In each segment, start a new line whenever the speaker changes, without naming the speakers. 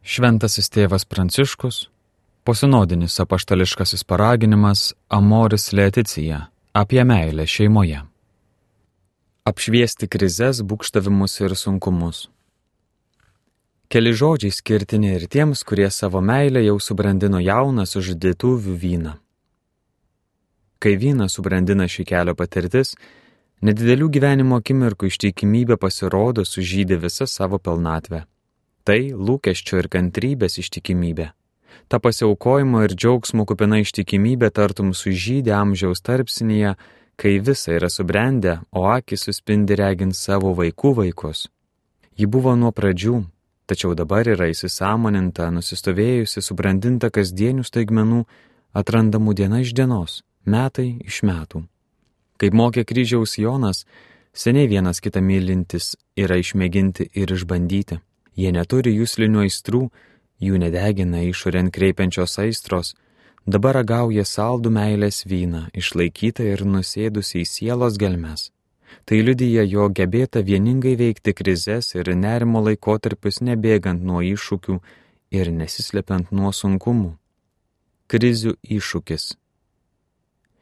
Šventasis tėvas Pranciškus, posinodinis apaštališkasis paraginimas Amoris Laetitia apie meilę šeimoje. Apšviesti krizes, būgštavimus ir sunkumus. Keli žodžiai skirtini ir tiems, kurie savo meilę jau subrandino jauną sužadėtuvių vyną. Kai vyną subrandina šį kelio patirtis, nedidelių gyvenimo akimirkų ištikimybė pasirodo sužydė visą savo pilnatvę. Tai lūkesčio ir kantrybės ištikimybė. Ta pasiaukojimo ir džiaugsmo kupina ištikimybė tartum sužydė amžiaus tarpsnyje, kai visa yra subrendę, o akys suspindi regint savo vaikų vaikus. Ji buvo nuo pradžių, tačiau dabar yra įsisąmoninta, nusistovėjusi, subrandinta kasdienių staigmenų, atrandamų diena iš dienos, metai iš metų. Kaip mokė kryžiaus Jonas, seniai vienas kitą mylintis yra išmėginti ir išbandyti. Jie neturi juslinių aistrų, jų nedegina išorėn kreipiančios aistros, dabar ragauja saldų meilės vyną, išlaikytą ir nusėdusi į sielos gelmes. Tai liudija jo gebėta vieningai veikti krizes ir nerimo laikotarpius nebėgant nuo iššūkių ir nesislepiant nuo sunkumų. Krizių iššūkis.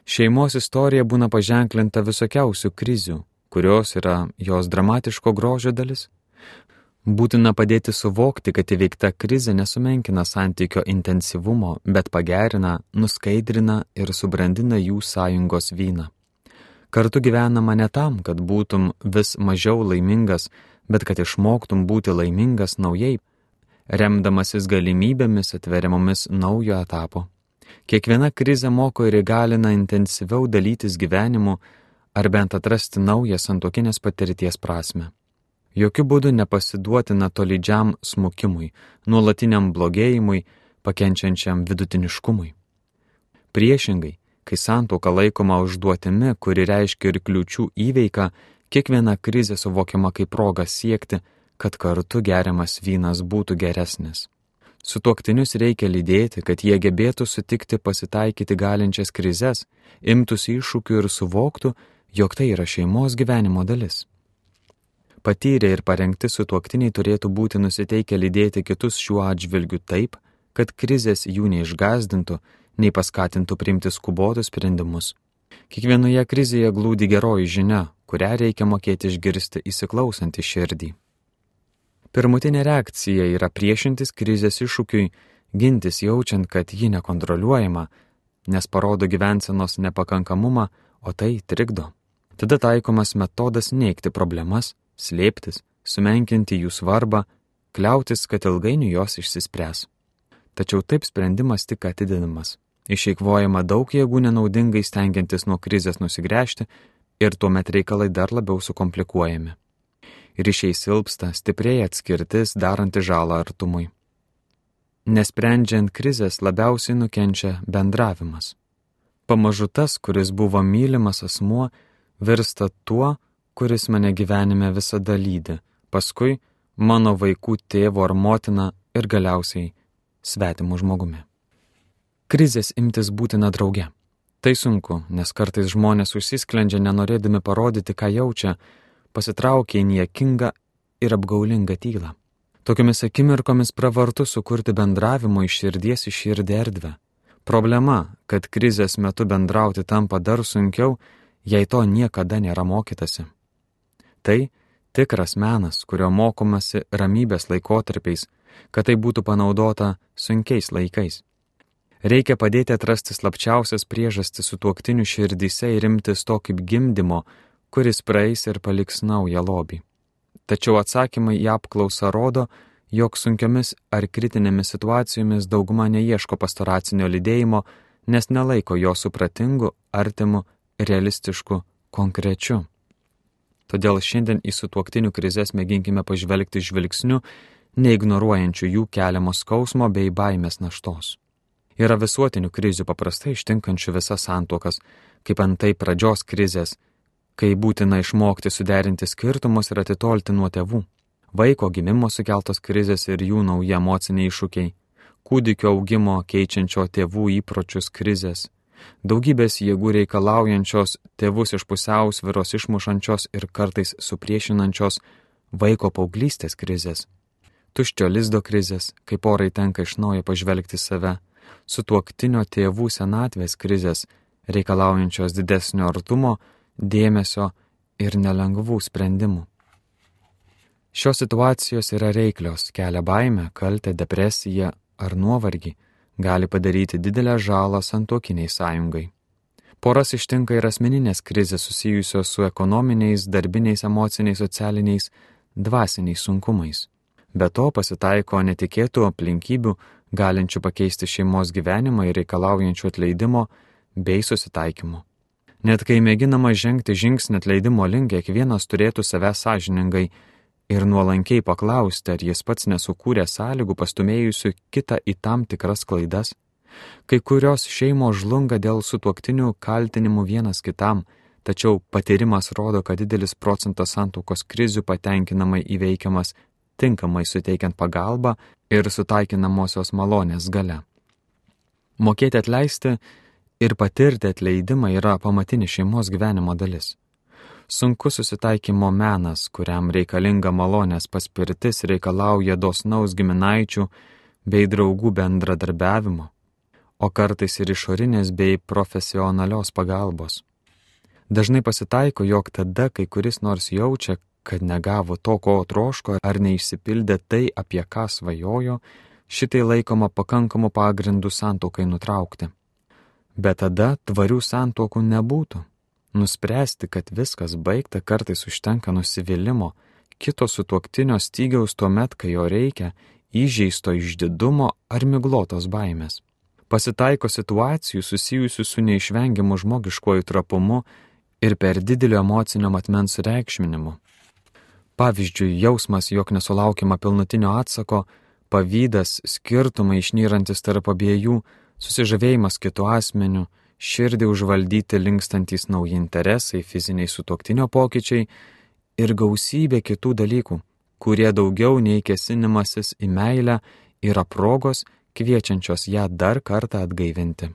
Šeimos istorija būna paženklinta visokiausių krizių, kurios yra jos dramatiško grožio dalis. Būtina padėti suvokti, kad įveikta krizė nesumenkina santykio intensyvumo, bet pagerina, nuskaidrina ir subrandina jų sąjungos vyną. Kartu gyvenama ne tam, kad būtum vis mažiau laimingas, bet kad išmoktum būti laimingas naujai, remdamasis galimybėmis atveriamomis naujo etapo. Kiekviena krizė moko ir įgalina intensyviau dalytis gyvenimu ar bent atrasti naują santuokinės patirties prasmę. Jokiu būdu nepasiduotina tolydžiam smukimui, nuolatiniam blogėjimui, pakenčiančiam vidutiniškumui. Priešingai, kai santuoka laikoma užduotimi, kuri reiškia ir kliūčių įveiką, kiekviena krizė suvokiama kaip proga siekti, kad kartu geriamas vynas būtų geresnis. Sutuoktinius reikia lydėti, kad jie gebėtų sutikti pasitaikyti galinčias krizes, imtųsi iššūkių ir suvoktų, jog tai yra šeimos gyvenimo dalis. Patyrę ir parengti sutuoktiniai turėtų būti nusiteikę lydėti kitus šiuo atžvilgiu taip, kad krizės jų neišgąsdintų, nei paskatintų priimti skubotus sprendimus. Kiekvienoje krizėje glūdi geroji žinia, kurią reikia mokėti išgirsti įsiklausant į širdį. Pirmutinė reakcija yra priešintis krizės iššūkiui, gintis jaučiant, kad ji nekontroliuojama, nes parodo gyvensenos nepakankamumą, o tai trikdo. Tada taikomas metodas neigti problemas, slėptis, sumenkinti jų svarbą, kliautis, kad ilgainiui jos išsispręs. Tačiau taip sprendimas tik atidinamas. Išeikvojama daug jėgų nenaudingai stengiantis nuo krizės nusigręžti ir tuomet reikalai dar labiau sukomplikuojami. Ryšiai silpsta, stiprėja atskirtis, daranti žalą artumui. Nesprendžiant krizės labiausiai nukenčia bendravimas. Pamažu tas, kuris buvo mylimas asmuo, virsta tuo, kuris mane gyvenime visada lydi, paskui mano vaikų tėvo ar motina ir galiausiai svetimu žmogumi. Krizės imtis būtina drauge. Tai sunku, nes kartais žmonės užsisklendžia nenorėdami parodyti, ką jaučia, pasitraukia į niekingą ir apgaulingą tylą. Tokiomis akimirkomis pravartu sukurti bendravimo iš širdies į širdį erdvę. Problema, kad krizės metu bendrauti tampa dar sunkiau, jei to niekada nėra mokytasi. Tai tikras menas, kurio mokomasi ramybės laikotarpiais, kad tai būtų panaudota sunkiais laikais. Reikia padėti atrasti slapčiausias priežastis sutuoktinių širdyse ir imtis to kaip gimdymo, kuris praeis ir paliks naują lobį. Tačiau atsakymai į apklausą rodo, jog sunkiomis ar kritinėmis situacijomis dauguma neieško pastoracinio lydėjimo, nes nelaiko jo supratingu, artimu, realistišku, konkrečiu. Todėl šiandien į sutuoktinių krizes mėginkime pažvelgti žvilgsniu, neignoruojančių jų keliamo skausmo bei baimės naštos. Yra visuotinių krizių paprastai ištinkančių visas santuokas, kaip antai pradžios krizės, kai būtina išmokti suderinti skirtumus ir atitolti nuo tėvų, vaiko gimimo sukeltos krizės ir jų nauji emociniai iššūkiai, kūdikio augimo keičiančio tėvų įpročius krizės, daugybės jėgų reikalaujančios tėvus iš pusiausvyros išmušančios ir kartais supriešinančios vaiko paauglystės krizės, tuščio lizdo krizės, kai porai tenka iš naujo pažvelgti save, sutuoktinio tėvų senatvės krizės, reikalaujančios didesnio artumo, dėmesio ir nelengvų sprendimų. Šios situacijos yra reiklios, kelia baimę, kaltę, depresiją ar nuovargį, gali padaryti didelę žalą santuokiniai sąjungai. Poras ištinka ir asmeninės krizės susijusios su ekonominiais, darbiniais, emociniais, socialiniais, dvasiniais sunkumais. Be to pasitaiko netikėtų aplinkybių, galinčių pakeisti šeimos gyvenimą ir reikalaujančių atleidimo bei susitaikymo. Net kai mėginama žengti žingsnį atleidimo link, kiekvienas turėtų save sąžiningai ir nuolankiai paklausti, ar jis pats nesukūrė sąlygų pastumėjusių kitą į tam tikras klaidas. Kai kurios šeimos žlunga dėl sutuoktinių kaltinimų vienas kitam, tačiau patyrimas rodo, kad didelis procentas santuokos krizių patenkinamai įveikiamas tinkamai suteikiant pagalbą ir sutaikinamosios malonės gale. Mokėti atleisti ir patirti atleidimą yra pamatinis šeimos gyvenimo dalis. Sunkus susitaikymo menas, kuriam reikalinga malonės paspirtis, reikalauja dosnaus giminaičių bei draugų bendradarbiavimo, o kartais ir išorinės bei profesionalios pagalbos. Dažnai pasitaiko, jog tada, kai kuris nors jaučia, kad negavo to, ko troško, ar neišsipildė tai, apie ką svajojo, šitai laikoma pakankamu pagrindu santuokai nutraukti. Bet tada tvarių santuokų nebūtų. Nuspręsti, kad viskas baigta, kartais užtenka nusivylimo, kito sutuoktinio stygiaus tuomet, kai jo reikia, įžeisto išdidumo ar miglotos baimės. Pasitaiko situacijų susijusių su neišvengiamu žmogiškuoju trapumu ir per didelio emocinio matmens reikšminimu. Pavyzdžiui, jausmas, jog nesulaukiama pilnutinio atsako, pavydas, skirtumai išnyrantis tarp abiejų, susižavėjimas kitu asmeniu, širdį užvaldyti linkstantys nauji interesai, fiziniai sutuoktinio pokyčiai ir gausybė kitų dalykų, kurie daugiau nei kėsinimasis į meilę yra progos, kviečiančios ją dar kartą atgaivinti.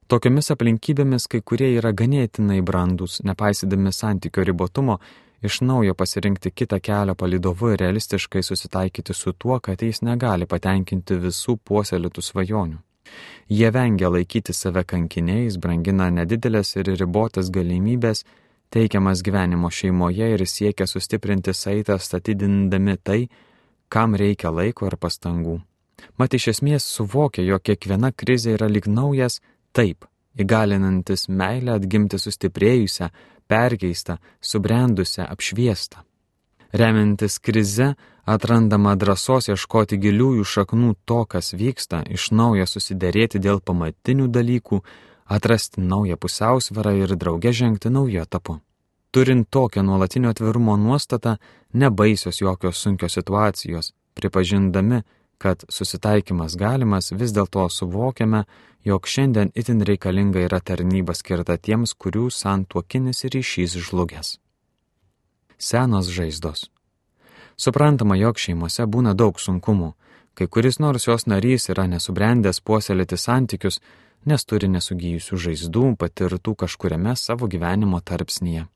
Tokiomis aplinkybėmis kai kurie yra ganėtinai brandūs, nepaisydami santykio ribotumo, iš naujo pasirinkti kitą kelią palydovu ir realistiškai susitaikyti su tuo, kad jis negali patenkinti visų puoselėtų svajonių. Jie vengia laikyti save kankiniais, brangina nedidelės ir ribotas galimybės, teikiamas gyvenimo šeimoje ir siekia sustiprinti saitą statydindami tai, kam reikia laiko ir pastangų. Mat iš esmės suvokia, jog kiekviena krizė yra lyg naujas taip, įgalinantis meilę atgimti sustiprėjusią, perkeistą, subrendusią, apšviestą. Remiantis krize, atrandama drąsos ieškoti giliųjų šaknų to, kas vyksta, iš naujo susiderėti dėl pamatinių dalykų, atrasti naują pusiausvyrą ir drauge žengti nauju etapu. Turint tokią nuolatinio atvirumo nuostatą, nebaisios jokios sunkios situacijos, pripažindami, kad susitaikymas galimas, vis dėlto suvokiame, jog šiandien itin reikalinga yra tarnyba skirta tiems, kurių santuokinis ryšys žlugęs. Senos žaizdos. Suprantama, jog šeimose būna daug sunkumų, kai kuris nors jos narys yra nesubrendęs puoselėti santykius, nes turi nesugijusių žaizdų patirtų kažkuriame savo gyvenimo tarpsnyje.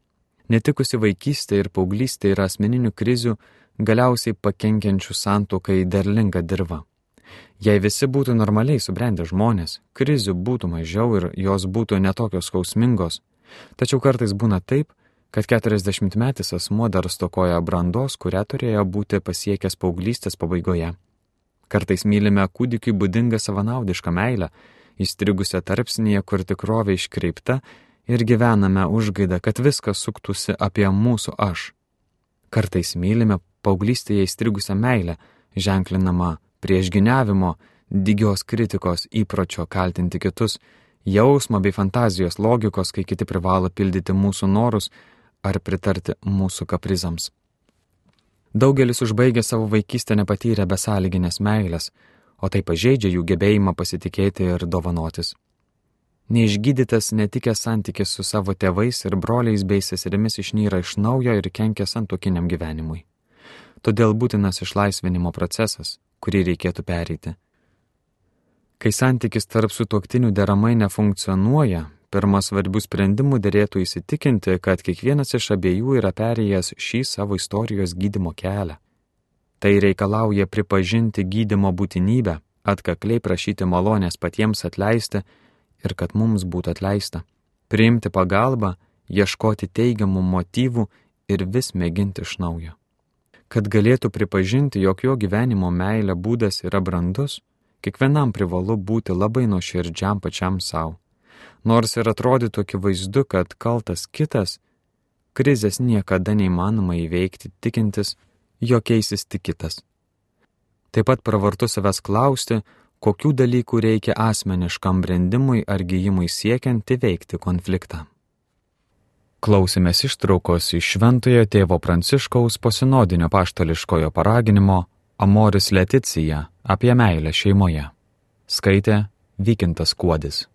Netikusi vaikystė ir paauglystė yra asmeninių krizių, galiausiai pakenkiančių santuokai derlinga dirva. Jei visi būtų normaliai subrendę žmonės, krizių būtų mažiau ir jos būtų netokios skausmingos, tačiau kartais būna taip, kad 40-metis asmuo dar stokoja brandos, kurią turėjo būti pasiekęs paauglystės pabaigoje. Kartais mylime kūdikiui būdingą savanaudišką meilę, įstrigusią tarpsnyje, kur tikrovė iškreipta ir gyvename užgaidą, kad viskas suktųsi apie mūsų aš. Kartais mylime paauglystėje įstrigusią meilę, ženklinamą priešginiavimo, dygios kritikos, įpročio kaltinti kitus, jausmo bei fantazijos logikos, kai kiti privalo pildyti mūsų norus ar pritarti mūsų kaprizams. Daugelis užbaigia savo vaikystę nepatyrę besąlyginės meilės, o tai pažeidžia jų gebėjimą pasitikėti ir dovanotis. Neišgydytas netikęs santykis su savo tėvais ir broliais bei seserimis išnyra iš naujo ir kenkia santuokiniam gyvenimui. Todėl būtinas išlaisvinimo procesas, kurį reikėtų pereiti. Kai santykis tarp sutuoktinių deramai nefunkcionuoja, pirmą svarbių sprendimų derėtų įsitikinti, kad kiekvienas iš abiejų yra perėjęs šį savo istorijos gydymo kelią. Tai reikalauja pripažinti gydymo būtinybę, atkakliai prašyti malonės patiems atleisti ir kad mums būtų atleista, priimti pagalbą, ieškoti teigiamų motyvų ir vis mėginti iš naujo. Kad galėtų pripažinti, jog jo gyvenimo meilė būdas yra brandus, kiekvienam privalu būti labai nuoširdžiam pačiam savo. Nors ir atrodytų akivaizdu, kad kaltas kitas, krizės niekada neįmanoma įveikti tikintis, jog keisis tik kitas. Taip pat pravartu savęs klausti, kokių dalykų reikia asmeniškam brendimui ar gijimui siekiant įveikti konfliktą. Klausėmės ištraukos iš Šventojo tėvo Pranciškaus posinodinio apaštališkojo paraginimo Amoris Laetitia apie meilę šeimoje. Skaitė Vykintas Kuodis.